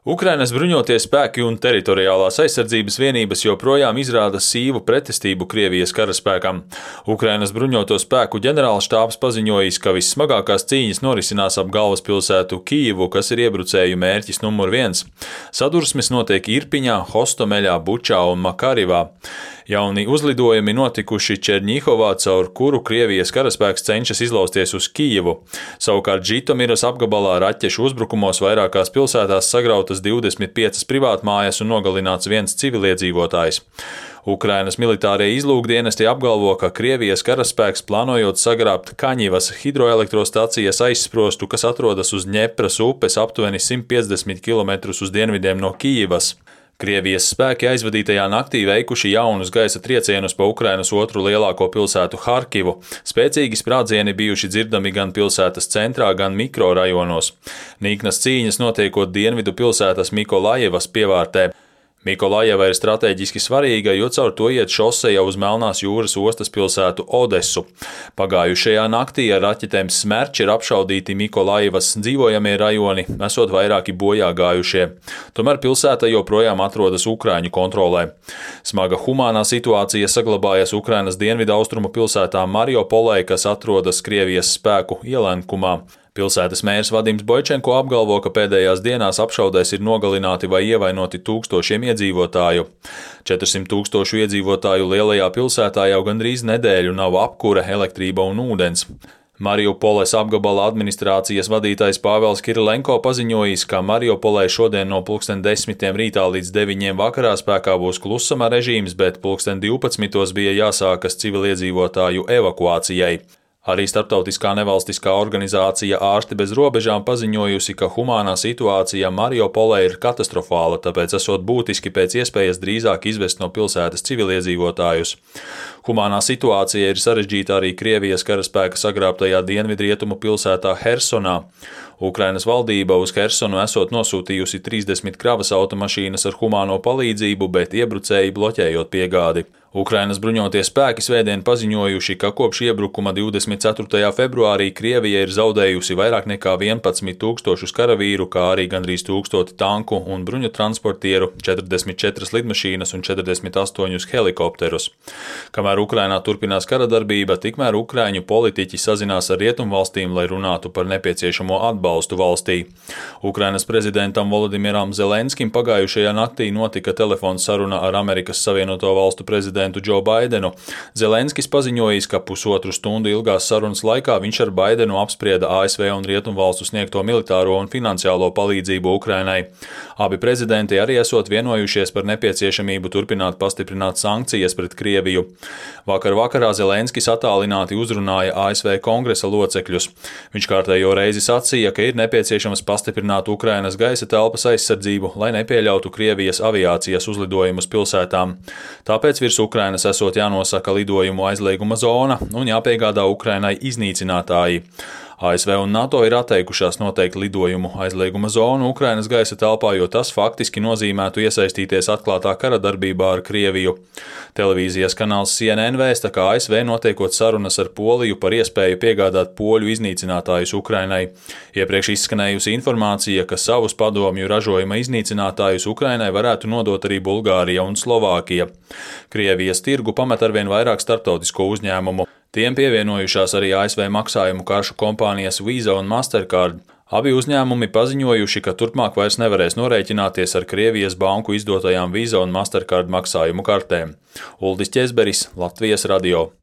Ukrainas bruņotie spēki un teritoriālās aizsardzības vienības joprojām izrāda sīvu pretestību Krievijas karaspēkam. Ukrainas bruņoto spēku ģenerālštābs paziņojis, ka vissmagākās cīņas norisinās ap galvaspilsētu Kijivu, kas ir iebrucēju mērķis numur 1. Sadursmes notiek Irpiņā, Hostomeļā, Bučā un Makarivā. Jauni uzlidojumi notikuši Čerņihovā, caur kuru Krievijas karaspēks cenšas izlausties uz Kijivu. Savukārt Žitomiras apgabalā raķešu uzbrukumos vairākās pilsētās sagrautas 25 privātmājas un nogalināts viens civiliedzīvotājs. Ukrainas militārie izlūkdienesti apgalvo, ka Krievijas karaspēks plānojot sagrābt Kaņivas hidroelektrostacijas aizsprostu, kas atrodas uz Ņepras upes aptuveni 150 km uz dienvidiem no Kijivas. Krievijas spēki aizvadītajā naktī veikuši jaunus gaisa triecienus pa Ukrainas otru lielāko pilsētu Harkivu. Spēcīgi sprādzieni bijuši dzirdami gan pilsētas centrā, gan mikrorajonos. Nīknas cīņas notiekot dienvidu pilsētas Mikolajevas pievārtē. Mikolajeva ir strateģiski svarīga, jo caur to iet šoseja uz Melnās jūras ostas pilsētu Odesu. Pagājušajā naktī ar raķetēm Smerč ir apšaudīti Mikolajevas dzīvojamie rajoni, esot vairāki bojā gājušie. Tomēr pilsēta joprojām atrodas Ukraiņu kontrolē. Smaga humānā situācija saglabājas Ukrainas dienvidu austrumu pilsētā Mariopolē, kas atrodas Krievijas spēku ielenkumā. Pilsētas mērs Vadims Boičenko apgalvo, ka pēdējās dienās apšaudēs ir nogalināti vai ievainoti tūkstošiem iedzīvotāju. 400 000 iedzīvotāju lielajā pilsētā jau gandrīz nedēļu nav apkure, elektrība un ūdens. Mariupoles apgabala administrācijas vadītājs Pāvels Kirilenko paziņojis, ka Mariupolē šodien no 10:00 rītā līdz 9:00 vakarā spēkā būs klusuma režīms, bet 12:00 bija jāsākas civiliedzīvotāju evakuācijai. Arī starptautiskā nevalstiskā organizācija Ārsti bez robežām paziņojusi, ka humānā situācija Mariupolē ir katastrofāla, tāpēc esot būtiski pēc iespējas drīzāk izvest no pilsētas civiliedzīvotājus. Humānā situācija ir sarežģīta arī Krievijas karaspēka sagrābtajā dienvidrietumu pilsētā Hersonā. Ukrainas valdība uz Hersonu esot nosūtījusi 30 kravas automašīnas ar humāno palīdzību, bet iebrucēji bloķējot piegādi. Ukrainas bruņotie spēki svētdien paziņojuši, ka kopš iebrukuma 24. februārī Krievija ir zaudējusi vairāk nekā 11 000 karavīru, kā arī gandrīz 1000 tanku un bruņu transportieru, 44 lidmašīnas un 48 helikopterus. Kamēr Ukrainā turpinās karadarbība, tikmēr ukraiņu politiķi sazinās ar rietumvalstīm, lai runātu par nepieciešamo atbalstu valstī. Ukrainas prezidentam Volodimiram Zelenskim pagājušajā naktī notika telefona saruna ar Amerikas Savienoto Valstu prezidentu Džo Baidenu. Zelenskis paziņojis, ka pusotru stundu ilgās sarunas laikā viņš ar Baidenu apsprieda ASV un Rietumvalstu sniegto militāro un finansiālo palīdzību Ukrainai. Abi prezidenti arī esot vienojušies par nepieciešamību turpināt pastiprināt sankcijas pret Krieviju. Vakar vakarā Zelenskis attālināti uzrunāja ASV kongresa locekļus. Viņš kārtējo reizi sacīja, ka ir nepieciešams pastiprināt Ukrainas gaisa telpas aizsardzību, lai nepieļautu Krievijas aviācijas uzlidojumus pilsētām. Tāpēc virs Ukrainas esot jānosaka lidojumu aizlieguma zona un jāpiegādā Ukrainai iznīcinātāji. ASV un NATO ir atteikušās noteikt lidojumu aizlieguma zonu Ukrainas gaisa telpā, jo tas faktiski nozīmētu iesaistīties atklātā kara darbībā ar Krieviju. Televīzijas kanāls CNN vēsta, ka ASV notiekot sarunas ar Poliju par iespēju piegādāt poļu iznīcinātājus Ukrainai. Iepriekš izskanējusi informācija, ka savus padomju ražojuma iznīcinātājus Ukrainai varētu nodot arī Bulgārija un Slovākija. Krievijas tirgu pamet arvien vairāk starptautisko uzņēmumu. Tiem pievienojušās arī ASV maksājumu karšu kompānijas Visa un Mastercard. Abi uzņēmumi paziņojuši, ka turpmāk vairs nevarēs norēķināties ar Krievijas banku izdotajām Visa un Mastercard maksājumu kartēm. Uldis Ķezberis, Latvijas radio.